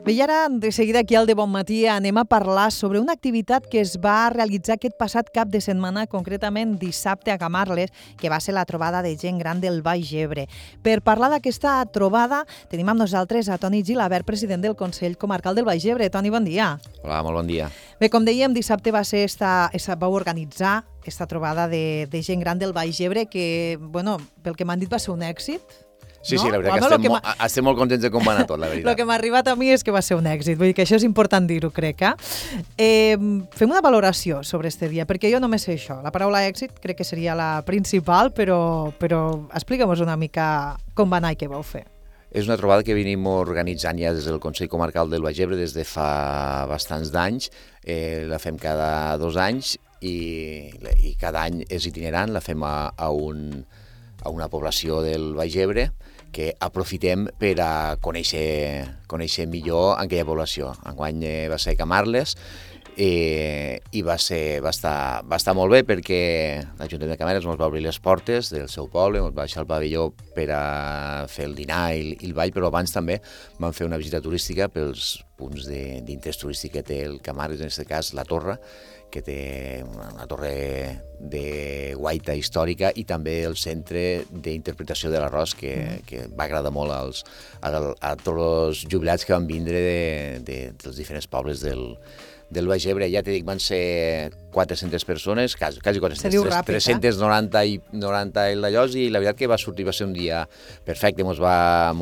Bé, i ara, de seguida aquí al De Bon Matí, anem a parlar sobre una activitat que es va realitzar aquest passat cap de setmana, concretament dissabte a Camarles, que va ser la trobada de gent gran del Baix Ebre. Per parlar d'aquesta trobada, tenim amb nosaltres a Toni Gilabert, president del Consell Comarcal del Baix Ebre. Toni, bon dia. Hola, molt bon dia. Bé, com dèiem, dissabte va ser vau organitzar aquesta trobada de gent gran del Baix Ebre, que, bueno, pel que m'han dit va ser un èxit. Sí, no? Sí, la veritat que estem molt contents de com va anar tot, la veritat. El que m'ha arribat a mi és que va ser un èxit, vull dir que això és important dir-ho, crec. Fem una valoració sobre este dia, perquè jo només sé això. La paraula èxit crec que seria la principal, però explica'm-nos una mica com va anar i què vau fer. És una trobada que venim organitzant ja des del Consell Comarcal del Baix Ebre des de fa bastants d'anys. La fem cada 2 anys i cada any és itinerant, la fem a una població del Baix Ebre que aprofitem per a conèixer millor aquella població. Enguany va ser Camarles i va estar molt bé perquè l'Ajuntament de Camarles ens va obrir les portes del seu poble, ens va deixar el pavelló per a fer el dinar i el ball, però abans també vam fer una visita turística pels punts d'interès turístic que té el Camarles, en aquest cas la Torre, que té una torre de guaita històrica i també el centre d'interpretació de l'arròs que va agradar molt a tots els jubilats que van vindre dels diferents pobles del Baix Ebre. Ja t'he dit, van ser 400 persones, quasi 400, 390 i 90 d'allòs, i la veritat que va ser un dia perfecte, mos va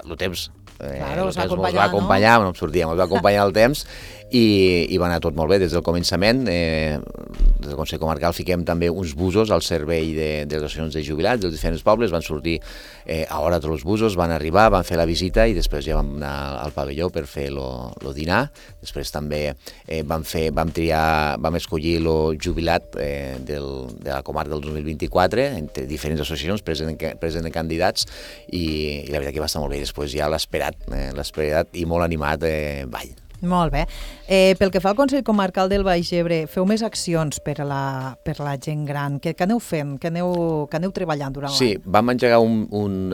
el temps mos va acompanyar, no em sortia, mos va acompanyar el temps i va anar tot molt bé des del començament. Des del Consell Comarcal fiquem també uns busos al servei de les associacions de jubilats dels diferents pobles, van sortir a hora tots els busos, van arribar, van fer la visita i després ja vam anar al pavelló per fer el dinar. Després també vam escollir el jubilat de la comarca del 2024 entre diferents associacions, present candidats, i la veritat que va estar molt bé. Després ja l'esperat i molt animat ball. Molt bé. Pel que fa al Consell Comarcal del Baix Ebre, feu més accions per a la gent gran. Què aneu fent? Què aneu treballant durant l'any? Sí, vam engegar un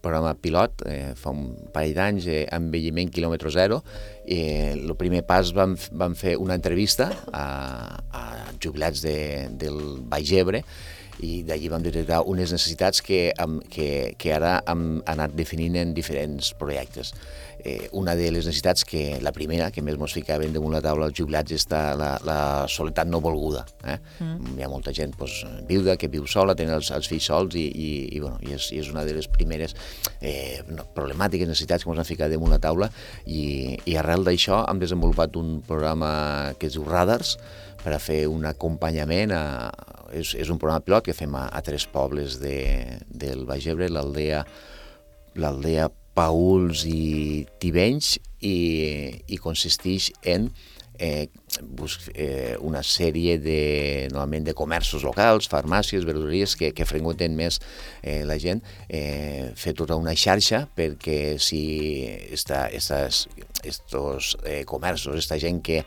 programa pilot fa un parell d'anys, envelliment quilòmetre zero. El primer pas vam fer una entrevista a jubilats del Baix Ebre i d'allí vam detectar unes necessitats que ara hem anat definint en diferents projectes. Una de les necessitats, la primera, que més ens ficaven damunt la taula als jubilats, és la soledat no volguda. Hi ha molta gent viuda que viu sola, tenen els fills sols i és una de les primeres problemàtiques, necessitats que ens han ficat damunt la taula, i arrel d'això hem desenvolupat un programa que es diu Radars per a fer un acompanyament. És un programa pilot que fem a 3 pobles del Baix Ebre, l'aldea Paüls i Tivenys, i consisteix en una sèrie normalment de comerços locals, farmàcies, verdureries que freqüenten més la gent, fer tota una xarxa perquè si estos comerços, aquesta gent que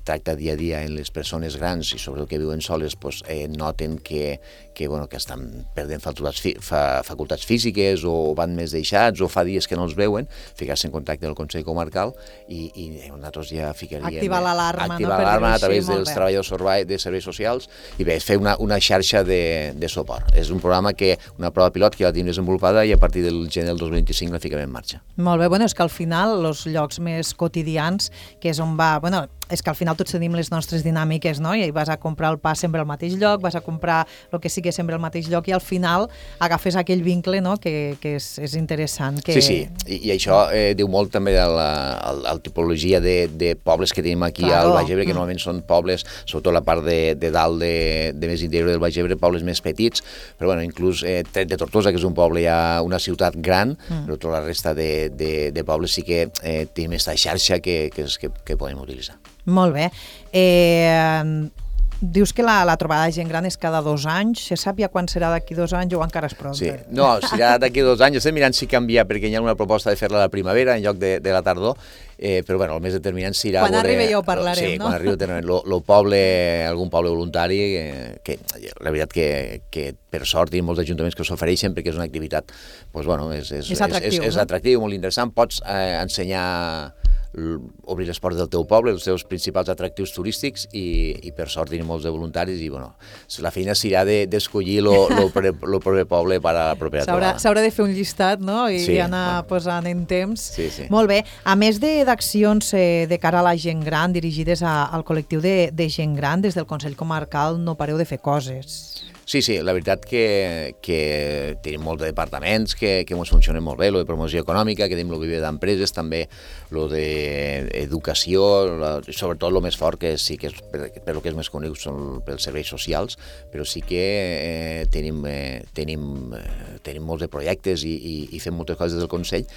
tracta dia a dia en les persones grans i sobretot que viuen soles, noten que estan perdent facultats físiques o van més deixats o fa dies que no els veuen, ficar-se en contacte amb el Consell Comarcal i nosaltres ja ficaríem... Activar l'alarma a través dels treballadors de serveis socials i bé, fer una xarxa de suport. És un programa una prova pilot que ja la tenim desenvolupada i a partir del gener del 2025 la fiquem en marxa. Molt bé, és que al final els llocs més quotidians, que és on va... És que al final tots tenim les nostres dinàmiques, no? I vas a comprar el pa sempre al mateix lloc, vas a comprar el que sigui sempre al mateix lloc i al final agafes aquell vincle, no? Que és interessant. Sí, i això diu molt també de la tipologia de pobles que tenim aquí al Baix Ebre, que normalment són pobles, sobretot la part de dalt de més interior del Baix Ebre, pobles més petits, però inclús tret de Tortosa, que és un poble ja una ciutat gran, però tota la resta de pobles sí que tenim aquesta xarxa que podem utilitzar. Molt bé. Dius que la trobada de gent gran és cada 2 anys. Se sap ja quan serà d'aquí 2 anys o encara és prou? Sí, no, serà d'aquí 2 anys. Estem mirant si canvia, perquè hi ha una proposta de fer-la a la primavera en lloc de la tardor, però bueno, el més determinant serà... Quan arribi ja ho parlarem, sí, no? Quan arribi el poble, algun poble voluntari, que la veritat que per sort hi ha molts ajuntaments que s'ofereixen perquè és una activitat, doncs bueno, és atractiu, molt interessant. Pots ensenyar, obrir les portes del teu poble, els teus principals atractius turístics i per sort hi ha molts de voluntaris i bueno, la feina serà d'escollir el proper poble per a la propera trobada. S'haurà de fer un llistat, no? I anar posant en temps. Sí. Molt bé. A més d'accions de cara a la gent gran dirigides al col·lectiu de gent gran, des del Consell Comarcal no pareu de fer coses. Sí, la veritat que tenim molts departaments que ens funcionen molt bé, lo de promoció econòmica, que tenim el viver d'empreses, també lo d'educació, sobretot el més fort, que sí que és per lo que és més conegut són pels serveis socials, però sí que tenim molts de projectes i fem moltes coses des del Consell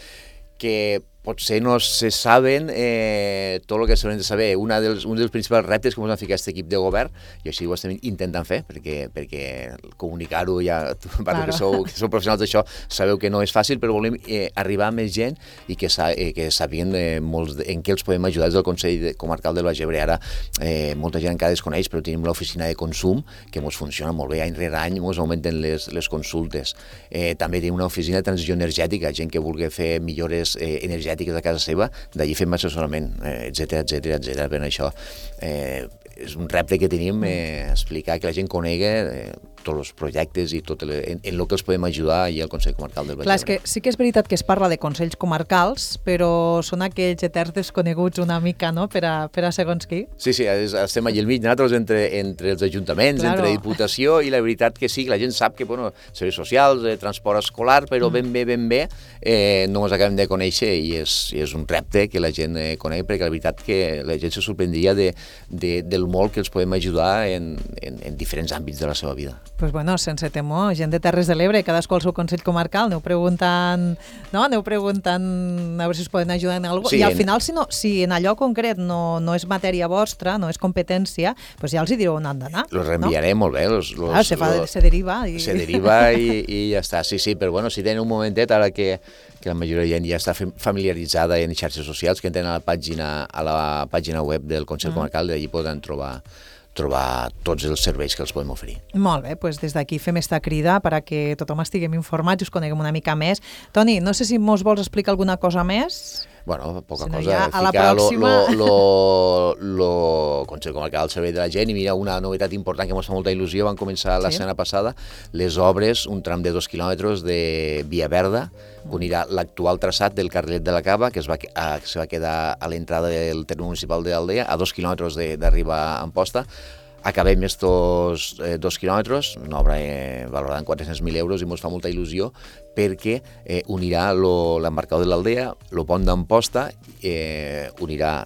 que potser no se saben tot el que s'haurien de saber. Un dels principals reptes que ens han ficat aquest equip de govern, i així ho estem intentant fer, perquè comunicar-ho ja, que sou professionals d'això, sabeu que no és fàcil, però volem arribar a més gent i que sàpiguen en què els podem ajudar des del Consell Comarcal del Baix Ebre. Ara molta gent encara desconeix, però tenim l'oficina de consum, que ens funciona molt bé, any rere any ens augmenten les consultes. També tenim una oficina de transició energètica, gent que vulgui fer millores energètiques de casa seva, d'allí fem assessorament, etcètera. Per això és un repte que tenim, explicar que la gent conegui tots els projectes i tot en el que els podem ajudar i al Consell Comarcal del Baix Ebre. Clar, és que sí que és veritat que es parla de consells comarcals, però són aquells eterns desconeguts una mica, no?, per a segons qui. Sí, estem allà al mig, nosaltres entre els ajuntaments, entre Diputació, i la veritat que sí, la gent sap que, bueno, serveis socials, transport escolar, però ben bé, no ens acabem de conèixer i és un repte que la gent conegui, perquè la veritat que la gent se sorprendria del molt que els podem ajudar en diferents àmbits de la seva vida. Doncs bueno, sense temor, gent de Terres de l'Ebre, cadascú al seu Consell Comarcal, aneu preguntant a veure si us poden ajudar en alguna cosa. I al final, si en allò concret no és matèria vostra, no és competència, doncs ja els hi direu on han d'anar. Los reenviarem molt bé. Se deriva. Se deriva i ja està. Sí, però bueno, si tenen un momentet, ara que la majoria de gent ja està familiaritzada en xarxes socials, que entren a la pàgina web del Consell Comarcal, d'allí poden trobar tots els serveis que els podem oferir. Molt bé, doncs des d'aquí fem esta crida perquè tothom estiguem informats i us coneguem una mica més. Toni, no sé si mos vols explicar alguna cosa més? Bueno, poca si no, cosa. Ja a la pròxima... Lo Consell Comarcal al servei de la gent, i mira, una novetat important que ens fa molta il·lusió, van començar la setmana passada, les obres, un tram de 2 quilòmetres de via verda, unirà l'actual traçat del carrilet de la Cava, que se va quedar a l'entrada del terme municipal d'Aldea, a 2 quilòmetres d'arribar a Amposta. Acabem estos 2 quilòmetres, una obra valorada en 400.000 euros, i ens fa molta il·lusió perquè unirà l'embarcador de l'Aldea, el pont d'Amposta, unirà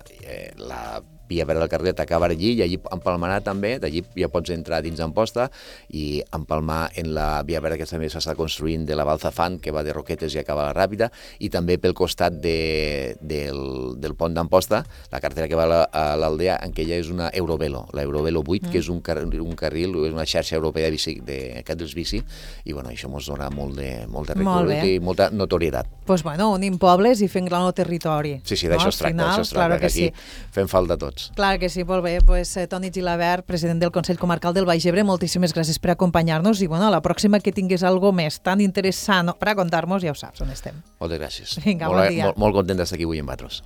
la via verda del carrilet, acaba allí i allí empalmarà també, d'allí ja pots entrar dins d'Amposta i empalmar en la via verda que també s'està construint de la Balzafant, que va de Roquetes i acaba a la Ràpita, i també pel costat del pont d'Amposta, la carretera que va a l'Aldea, en què ja és una Eurovelo, la Eurovelo 8, que és un carril, és una xarxa europea de carrils bici, i bueno, això ens dona molt de recorregut i molta notorietat. Doncs bueno, unim pobles i fent gran el territori. Sí, d'això es tracta, que aquí fem falta tots. Clar que sí, molt bé. Pues, Toni Gilabert, president del Consell Comarcal del Baix Ebre, moltíssimes gràcies per acompanyar-nos i bueno, la pròxima que tingués algo més tan interessant per a contar-nos, ja ho saps on estem. Moltes gràcies. Vinga, bon dia. Molt content d'estar aquí avui amb vosaltres.